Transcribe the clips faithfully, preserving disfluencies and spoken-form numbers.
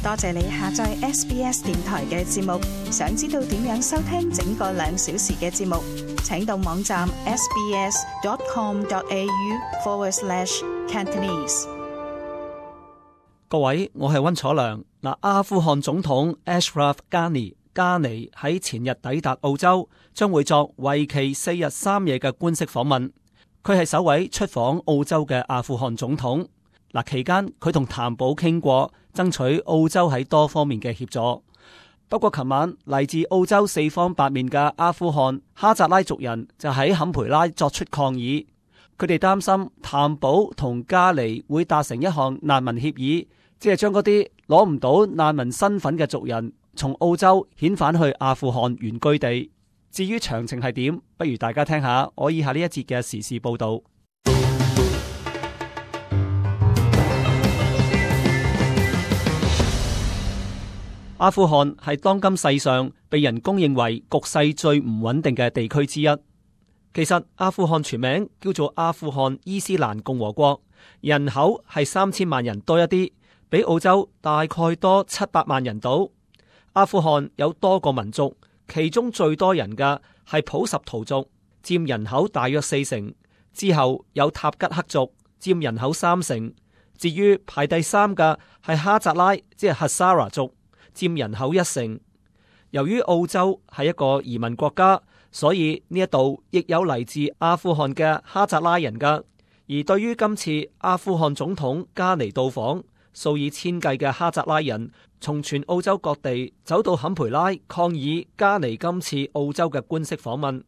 多謝你下載 S B S 電台嘅節目。想知道點樣收聽整個兩小時嘅節目，請到網站 sbs.com.au forward slash Cantonese。各位，我係溫楚良。嗱，阿富汗總統 Ashraf Ghani 加尼喺前日抵達澳洲，將會作為期四日三夜嘅官式訪問。佢係首位出訪澳洲嘅阿富汗總統。嗱，期間佢同譚寶傾過，爭取澳洲喺多方面嘅協助。不過，琴晚嚟自澳洲四方八面嘅阿富汗哈扎拉族人就喺坎培拉作出抗議。佢哋擔心譚寶同加尼會達成一項難民協議，即係將嗰啲攞唔到難民身份嘅族人從澳洲遣返去阿富汗原居地。至於詳情係點，不如大家聽下我以下呢一節嘅時事報道。阿富汗係當今世上被人公認為局勢最唔穩定嘅地區之一。其實阿富汗全名叫做阿富汗伊斯蘭共和國，人口係三千萬人多一啲，比澳洲大概多七百萬人度。阿富汗有多個民族，其中最多人嘅係普什圖族，佔人口大約四成，之後有塔吉克族，佔人口三成。至於排第三嘅係哈扎拉，即係哈薩拉族，佔人口一成。由於澳洲係一個移民國家，所以呢一度亦有嚟自阿富汗嘅哈扎拉人噶。而對於今次阿富汗總統加尼到訪，數以千計嘅哈扎拉人從全澳洲各地走到坎培拉抗議加尼今次澳洲嘅官式訪問。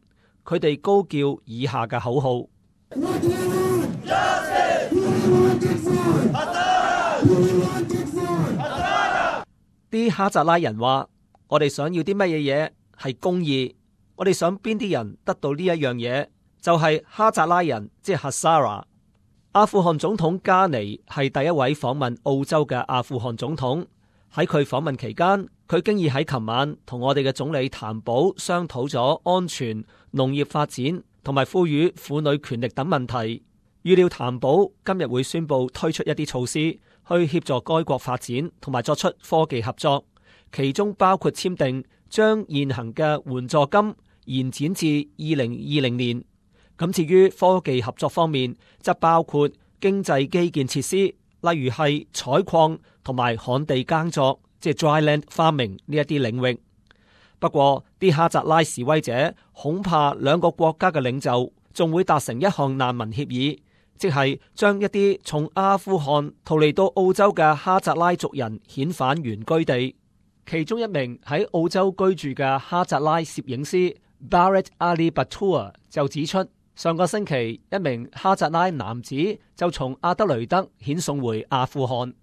佢哋高叫以下嘅口號：啲哈扎拉人話，我哋想要啲乜嘢嘢係公義，我哋想邊啲人得到呢一樣嘢，就係、是、哈扎拉人，即係哈薩拉。阿富汗總統加尼係第一位訪問澳洲嘅阿富汗總統。喺佢訪問期間，佢經已喺琴晚同我哋嘅總理譚寶商討咗安全、農業發展同埋賦予婦女權力等問題。預料譚寶今日會宣布推出一啲措施，去協助該國發展同埋作出科技合作，其中包括簽訂將現行嘅援助金延展至二零二零年。咁至於科技合作方面，則包括經濟基建設施，例如係採礦同埋旱地耕作，即係 dry land farming 呢一啲領域。不過，啲哈扎拉示威者恐怕兩個國家嘅領袖仲會達成一項難民協議，即係將一啲從阿富汗逃離到澳洲嘅哈扎拉族人遣返原居地。其中一名喺澳洲居住嘅哈扎拉攝影師 Barrett Ali Batoor 就指出，上個星期一名哈扎拉男子就從阿德雷德遣送回阿富汗。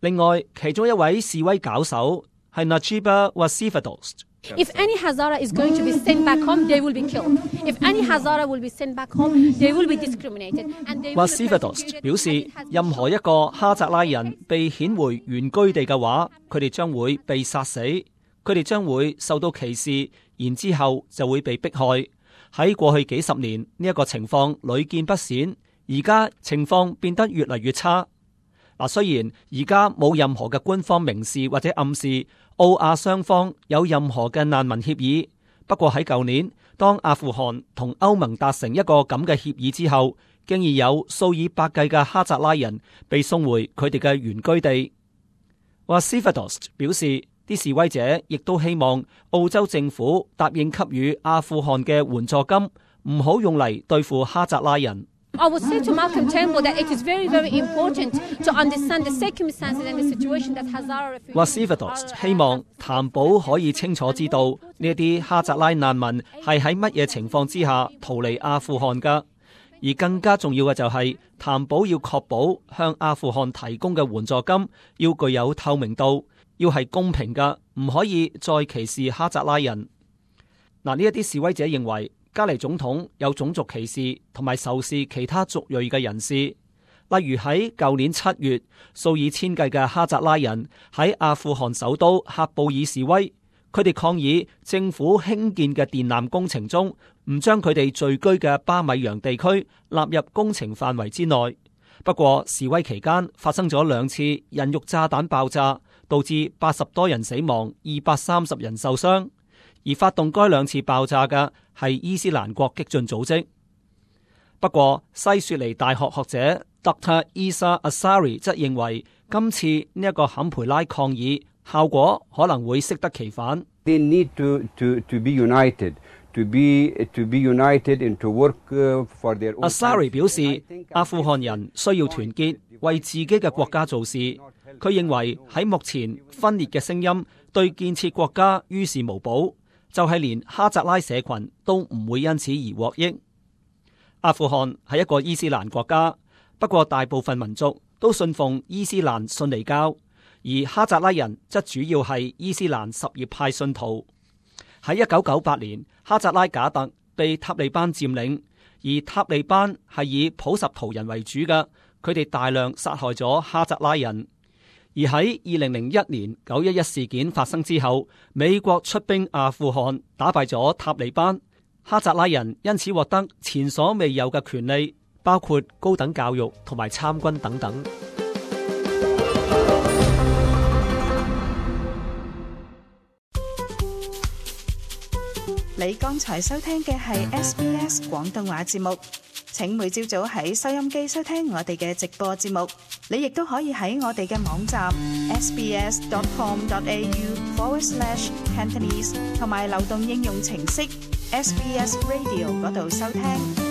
另外，其中一位示威搞手係 Najibah Wazifadost。If any Hazara is going to be sent back home, they will be killed. If any Hazara will be sent back home, they will be discriminated. Wazifadost 表示，任何一個哈扎拉人被遣回原居地嘅話，佢哋將會被殺死，佢哋將會受到歧視，然之後就會被迫害。喺過去幾十年，呢一個情況屢見不鮮，而家情況變得越嚟越差。嗱，雖然而家冇任何嘅官方明示或者暗示澳阿雙方有任何嘅難民協議，不過喺舊年，當阿富汗同歐盟達成一個咁嘅協議之後，經已有數以百計嘅哈扎拉人被送回佢哋嘅原居地。Wazifadost 表示，啲示威者亦都希望澳洲政府答應給予阿富汗嘅援助金，唔好用嚟對付哈扎拉人。I would say to Malcolm Turnbull that it is very, very important to understand the circumstances and the situation that Hazara refugees. Wazifadost 希望譚寶可以清楚知道呢一啲哈扎拉難民係喺乜嘢情況之下逃離阿富汗㗎，而更加重要嘅就係譚寶要確保向阿富汗提供嘅援助金要具有透明度，要係公平㗎，唔可以再歧視哈扎拉人。嗱，呢一啲示威者認為加尼總統有種族歧視同埋仇視其他族裔嘅人士，例如喺舊年七月，數以千計嘅哈扎拉人喺阿富汗首都喀布爾示威，佢哋抗議政府興建嘅電纜工程中唔將佢哋聚居嘅巴米揚地區納入工程範圍之內。不過示威期間發生咗兩次人肉炸彈爆炸，導致八十多人死亡，二百三十人受傷。而發動該兩次爆炸嘅係伊斯蘭國激進組織。不過，西雪梨大學學者 Doctor Isa Ansari 則認為，今次呢一個坎培拉抗議效果可能會適得其反。They need to, to, to be united, to be, to be united and to work for their own. Ansari 表示，阿富汗人需要團結，為自己嘅國家做事。佢認為喺目前分裂嘅聲音對建設國家於事無補，就係連哈扎拉社群都唔會因此而獲益。阿富汗係一個伊斯蘭國家，不過大部分民族都信奉伊斯蘭遜尼教，而哈扎拉人則主要係伊斯蘭什葉派信徒。喺一九九八年，哈扎拉賈特被塔利班佔領，而塔利班係以普什圖人為主嘅，佢哋大量殺害咗哈扎拉人。而喺二零零一年九一一事件發生之後，美國出兵阿富汗，打敗咗塔利班。哈扎拉人因此獲得前所未有嘅權利，包括高等教育同埋參軍等等。你剛才收聽嘅係 S B S 廣東話節目，請每朝早喺收音機收聽我哋嘅直播節目。你亦都可以喺我哋嘅網站 sbs.com.au forward slash Cantonese 同埋流動應用程式 S B S Radio 嗰度收聽。